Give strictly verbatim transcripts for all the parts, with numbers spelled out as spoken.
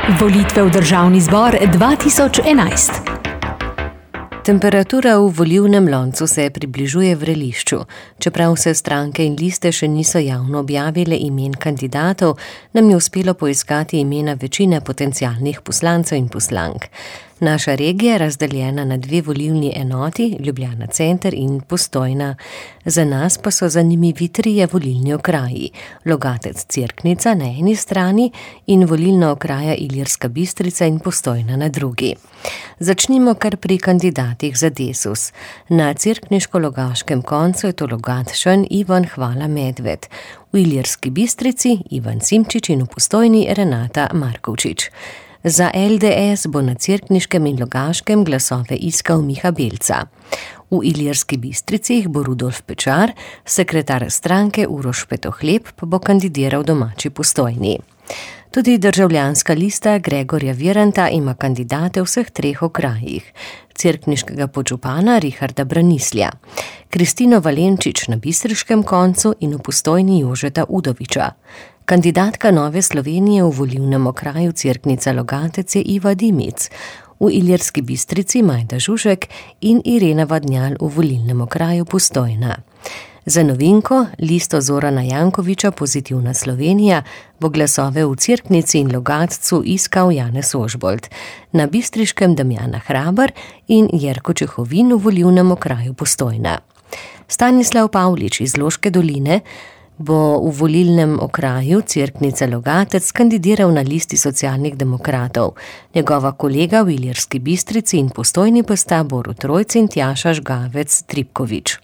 Volitve v državni zbor dva tisoč enajst. Temperatura v volilnem loncu se približuje vrelišču. Čeprav se stranke in liste še niso javno objavile imen kandidatov, nam je uspelo poiskati imena večine potencialnih poslancev in poslank. Naša regija je razdeljena na dve volilni enoti, Ljubljana center in Postojna. Za nas pa so zanimivi trije volilni okraji, Logatec-Cerknica na eni strani in volilna okraja Ilirska Bistrica in Postojna na drugi. Začnimo kar pri kandidatih za Desus. Na cerkniško-logaškem koncu je to Logatčan Ivan Hvala Medved, v Ilirski Bistrici Ivan Simčič in v Postojni Renata Markovčič. Za el de es bo na cerkniškem in logaškem glasove iskal Miha Belca. V Ilirski Bistrici bo Rudolf Pečar, sekretar stranke Uroš Petohleb pa bo kandidiral domači Postojni. Tudi državljanska lista Gregorja Viranta ima kandidate v vseh treh okrajih. Cerkniškega podžupana Richarda Branislja, Kristino Valenčič na bistriškem koncu in v Postojni Jožeta Udoviča. Kandidatka Nove Slovenije v volilnem okraju Cerknica Logatec je Iva Dimic, v Ilirski Bistrici Majda Žužek in Irena Vadnjal v volilnem okraju Postojna. Za novinko, listo Zorana Jankoviča Pozitivna Slovenija, bo glasove v Cerknici in Logatcu iskal Janez Ožbolt, na bistriškem Damjana Hrabar in Jerko Čehovin v volilnem okraju Postojna. Stanislav Pavlič iz Loške doline bo v volilnem okraju Cerknica Logatec kandidiral na listi Socialnih demokratov. Njegova kolega v Ilirski Bistrici in Postojni pa sta Borut Rojc in Tjaša Žgavec Tripkovič.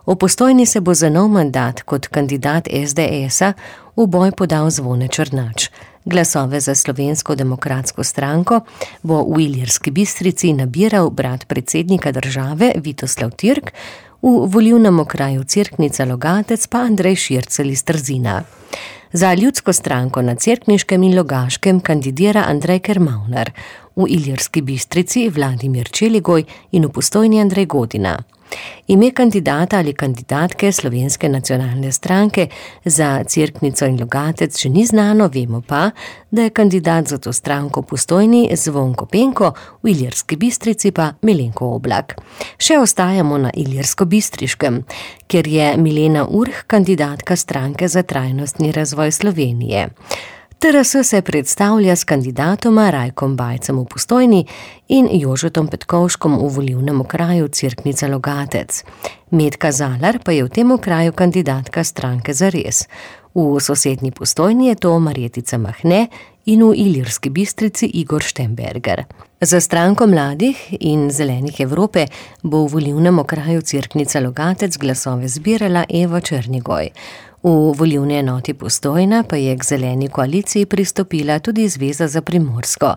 V Postojni se bo za nov mandat kot kandidat es de es-a v boj podal Zvone Črnač. Glasove za Slovensko demokratsko stranko bo v Ilirski Bistrici nabiral brat predsednika države Vitoslav Tirk, v volilnem okraju Cerknica Logatec pa Andrej Šircelj iz Trzina. Za Ljudsko stranko na cerkniškem in logaškem kandidira Andrej Kermavnar, v Ilirski Bistrici Vladimir Čeligoj in v Postojni Andrej Godina. Ime kandidata ali kandidatke Slovenske nacionalne stranke za Cerknico in Logatec še ni znano, vemo pa, da je kandidat za to stranko v Postojni Zvonko Penko, v Ilirski Bistrici pa Milenko Oblak. Še ostajamo na Ilirsko-Bistriškem, kjer je Milena Urh kandidatka stranke za trajnostni razvoj Slovenije. te er es se predstavlja s kandidatoma Rajkom Bajcem v Postojni in Jožetom Petkovškom v volilnem okraju Cerknica Logatec. Metka Zalar pa je v tem okraju kandidatka stranke Zares. V sosednji Postojni je to Marjetica Mahne in v Ilirski Bistrici Igor Štemberger. Za stranko Mladih in Zelenih Evrope bo v volilnem okraju Cerknica Logatec glasove zbirala Eva Černigoj. V volilni enoti Postojna pa je k zeleni koaliciji pristopila tudi Zveza za Primorsko.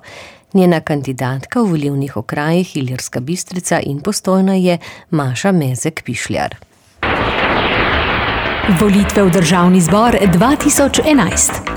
Njena kandidatka v volilnih okrajih Ilirska Bistrica in Postojna je Maša Mezek Pišljar. Volitve v državni zbor dva tisoč enajst.